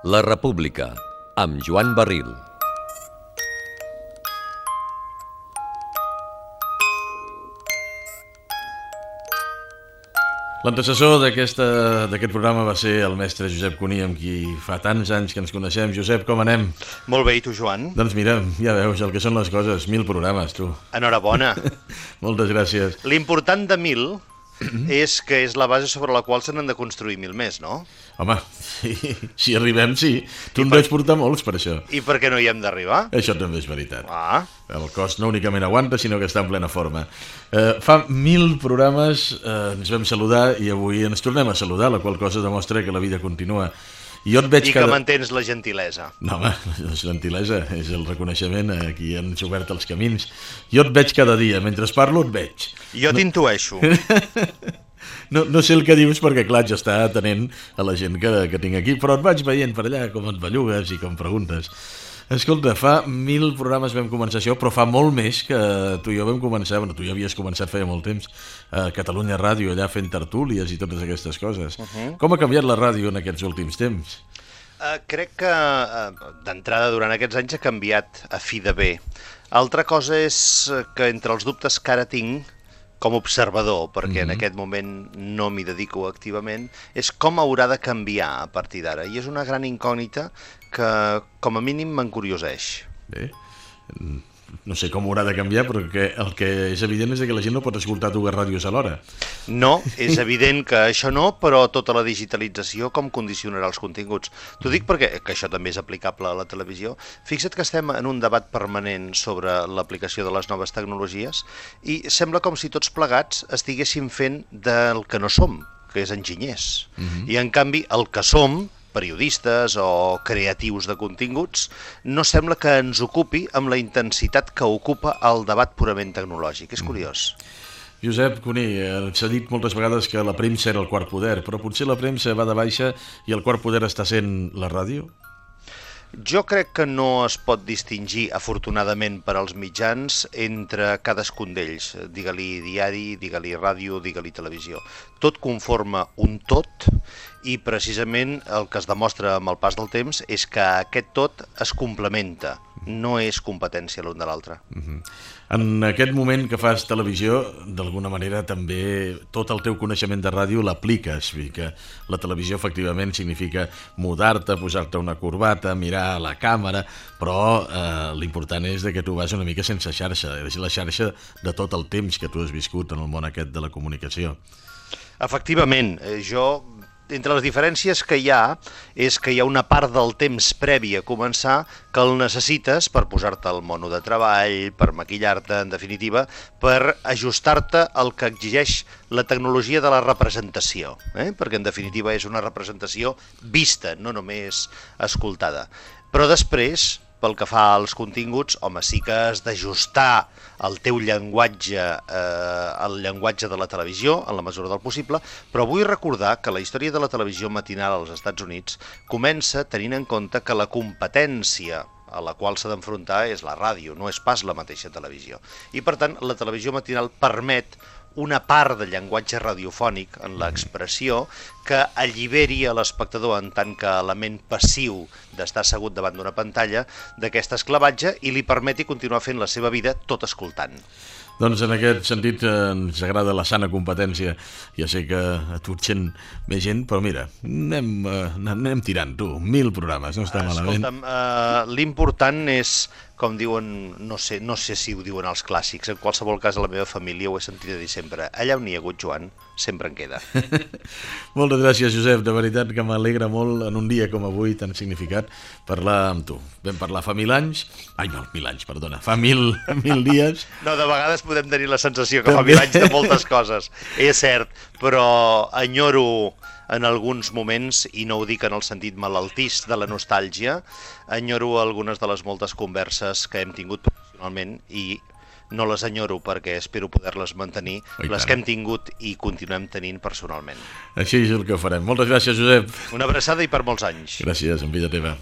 La República, amb Joan Barril. L'antecessor d'aquest programa va ser el mestre Josep Cuní, amb qui fa tants anys que ens coneixem. Josep, com anem? Molt bé, i tu, Joan? Doncs mira, ja veus el que són les coses, 1000 programes, tu. Enhorabona. Moltes gràcies. L'important de 1000 és que és la base sobre la qual se n'han de construir 1000 més, no? Home, si arribem, sí. Tu en deus portar molts, per això. I per què no hi hem d'arribar? Això també és veritat. El cos no únicament aguanta, sinó que està en plena forma. Fa 1000 programes ens vam saludar i avui ens tornem a saludar, la qual cosa demostra que la vida continua. I que mantens la gentilesa. No, home, la gentilesa és el reconeixement a qui han obert els camins. Jo et veig cada dia, mentre parlo et veig. Jo t'intueixo. No sé el que dius perquè, clar, jo està atenent a la gent que tinc aquí, però et vaig veient per allà com et bellugues i com preguntes. Escolta, fa 1000 programes vam començar això, però fa molt més que tu i jo vam començar, bueno, tu ja havies començat feia molt temps, a Catalunya Ràdio, allà fent tertúlies i totes aquestes coses. Com ha canviat la ràdio en aquests últims temps? Crec que d'entrada durant aquests anys ha canviat a fi de bé. Altra cosa és que entre els dubtes que ara tinc, com a observador, perquè en aquest moment no m'hi dedico activament, és com haurà de canviar a partir d'ara. I és una gran incògnita que, com a mínim, m'encurioseix. Bé, no sé com haurà de canviar, però el que és evident és que la gent no pot escoltar dues ràdios alhora. No, és evident que això no, però tota la digitalització com condicionarà els continguts. T'ho dic perquè, que això també és aplicable a la televisió, fixa't que estem en un debat permanent sobre l'aplicació de les noves tecnologies i sembla com si tots plegats estiguéssim fent del que no som, que és enginyers. I en canvi el que som, periodistes o creatius de continguts, no sembla que ens ocupi amb la intensitat que ocupa el debat purament tecnològic. És curiós. Josep Cuní, s'ha dit moltes vegades que la premsa era el quart poder, però potser la premsa va de baixa i el quart poder està sent la ràdio? Jo crec que no es pot distingir, afortunadament per als mitjans, entre cadascun d'ells. Digue-li diari, digue-li ràdio, digue-li televisió. Tot conforma un tot i precisament el que es demostra amb el pas del temps és que aquest tot es complementa, no és competència l'un de l'altre. En aquest moment que fas televisió, d'alguna manera també tot el teu coneixement de ràdio l'apliques, que la televisió efectivament significa mudar-te, posar-te una corbata, mirar a la càmera, però l'important és que tu vas una mica sense xarxa, és la xarxa de tot el temps que tu has viscut en el món aquest de la comunicació. Efectivament, entre les diferències que hi ha és que hi ha una part del temps previ a començar que el necessites per posar-te al mono de treball, per maquillar-te, en definitiva, per ajustar-te al que exigeix la tecnologia de la representació, perquè en definitiva és una representació vista, no només escoltada. Però després, pel que fa als continguts, home, sí que has d'ajustar el teu llenguatge al llenguatge de la televisió, en la mesura del possible, però vull recordar que la història de la televisió matinal als Estats Units comença tenint en compte que la competència a la qual s'ha d'enfrontar és la ràdio, no és pas la mateixa televisió. I, per tant, la televisió matinal permet una part del llenguatge radiofònic en l'expressió que alliberi a l'espectador en tant que element passiu d'estar assegut davant d'una pantalla d'aquest esclavatge i li permeti continuar fent la seva vida tot escoltant. Doncs en aquest sentit ens agrada la sana competència. Ja sé que a tu et sent més gent, però mira, anem tirant, tu. 1000 programes, no està malament. Escolta'm, l'important és, com diuen, no sé si ho diuen els clàssics, en qualsevol cas a la meva família ho he sentit a dir sempre, allà on hi ha hagut Joan, sempre en queda. Moltes gràcies, Josep, de veritat que m'alegra molt en un dia com avui tan significat parlar amb tu. Vam parlar fa 1000 anys, fa 1000 dies. No, de vegades podem tenir la sensació que fa 1000 anys de moltes coses, és cert, però enyoro en alguns moments, i no ho dic en el sentit malaltís de la nostàlgia, enyoro algunes de les moltes converses que hem tingut professionalment i no les enyoro perquè espero poder-les mantenir, les que hem tingut i continuem tenint personalment. Així és el que farem. Moltes gràcies, Josep. Una abraçada i per molts anys. Gràcies, en vida teva.